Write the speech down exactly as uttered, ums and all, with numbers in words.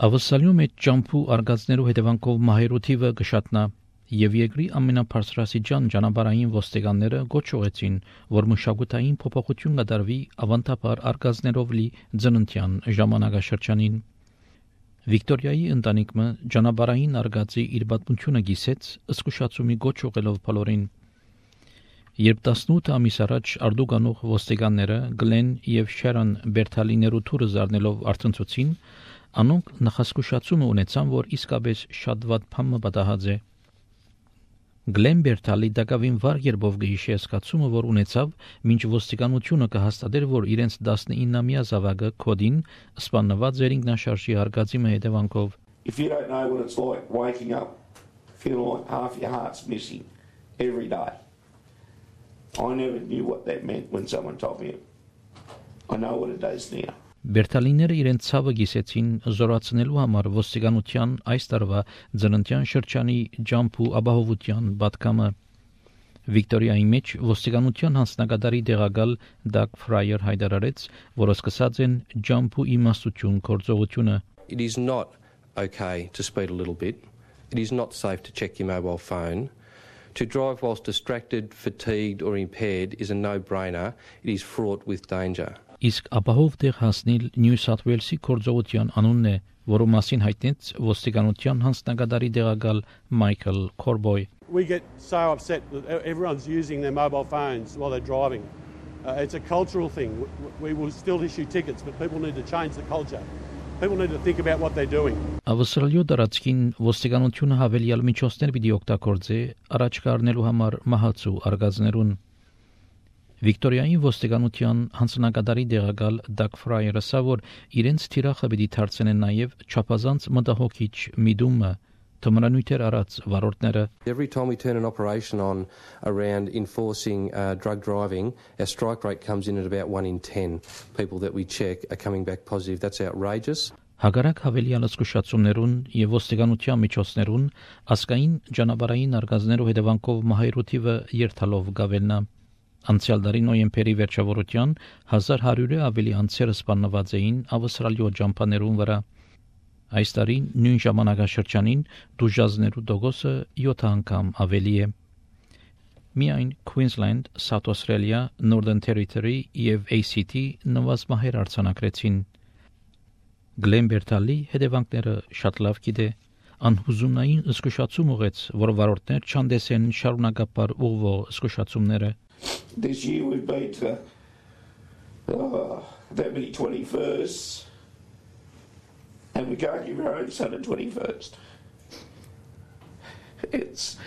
Ավսալյու մեջ ճամփու արգածներու հետևանքով մահերու թիվը կշատնա եւ երկրի ամենաբարձրաստիճան ճանապարհային ոստիկանները գոչողեցին, որ մշակութային փոփոխություն կդարվի ավանդաբար արգածներով լի ծննդյան ժամանակաշրջանին։ Վիկտորիայի ընտանիքը ճանապարհային արգածի իր պատմությունը գիսեց զսկուշացումի գոչողելով բոլորին։ Երբ տասնութ ամիս առաջ արդուկանող ոստիկանները Գլեն եւ Շերոն Բերթալիներու թուրը զարնելով արցնցուցին, անոնք նախասկուշացումը ունեցան, որ իսկապես շատ վատ բան պատահած է։ Գլեն Բերթալի դակավին վառ երբով գիշե սկացումը, որ ունեցավ, մինչ ոստիկանությունը կհաստատեր, որ իրենց տասնինամյա զավակը Քոդին սպանված էր ինքնաշարժի արգածի հետևանքով։ If you don't know what it's like waking up feeling like half your heart's missing every day. I never knew what that meant when someone told me it. I know what it does now. Բերթալիները իրենց ցավը գիսեցին զորացնելու համար ոստիկանության այս տարվա ծննդյան շրջանի ջամփու ապահովության պատգամը։ Վիկտորիայի մեջ ոստիկանության հանձնագետարի դեղակալ Դագ Ֆրայեր հայտարարեց, որ սկսած են ջամփու իմաստություն գործողությունը։ It is not okay to speed a little bit. It is not safe to check your mobile phone. To drive whilst distracted, fatigued or impaired is a no-brainer. It is fraught with danger. Իսկ ապահով տեղ հասնել Նյու Սաթ Ուելսի գործողության անունն է, որը մասին հայտնեց ոստիկանության հանձնագետարի դեղակալ Մայքլ Քորբոյ։ We get so upset that everyone's using their mobile phones while they're driving. Uh, it's a cultural thing. We will still issue tickets, but people need to change the culture. People need to think about what they're doing. Ավստրալիա դարածքին ոստիկանությունը հավելյալ միջոցներ պիտի օգտագործի առաջ կառնելու համար մահացու արգածներուն։ Վիկտորիայի ոստիկանության հանձնագետարի դեղակալ Դագ Ֆրայերը ասա, որ իրենց թիրախը պիտի դարձնեն նաև չափազանց մտահոգիչ միտումը թմրանյութեր արած վարորդները։ Every time we turn an operation on around enforcing uh, drug driving, our strike rate comes in at about one in ten. People that we check are coming back positive. That's outrageous. Հակառակ հավելյալ զսկուշացումներուն եւ ոստիկանության միջոցներուն ասկային ճանապարհային արգածներու հետևանքով մահերու թիվը երթալով գավելնա։ Անցյալ տարի նոյեմբերի վերջավորության հազար հարյուրը ավելի անձեր սպանված էին ավստրալիո ջամփաներուն վրա։ Այս տարի նույն ժամանակաշրջանին դուժազներու դոգոսը յոթ անգամ ավելի է։ Միայն Queensland, South Australia, Northern Territory եւ A C T նվազ մահեր արձանագրեցին։ Գլեն Բերթալի հետևանքները շատ լավ գիտե։ Անհուզունային զսկուշացում ուղեց, որ վարորդներ չանդեսեն շարունակապար ուղղվող զսկուշացումները։ This year we've been to oh, that many twenty-firsts, and we can't give our own son a twenty-first. It's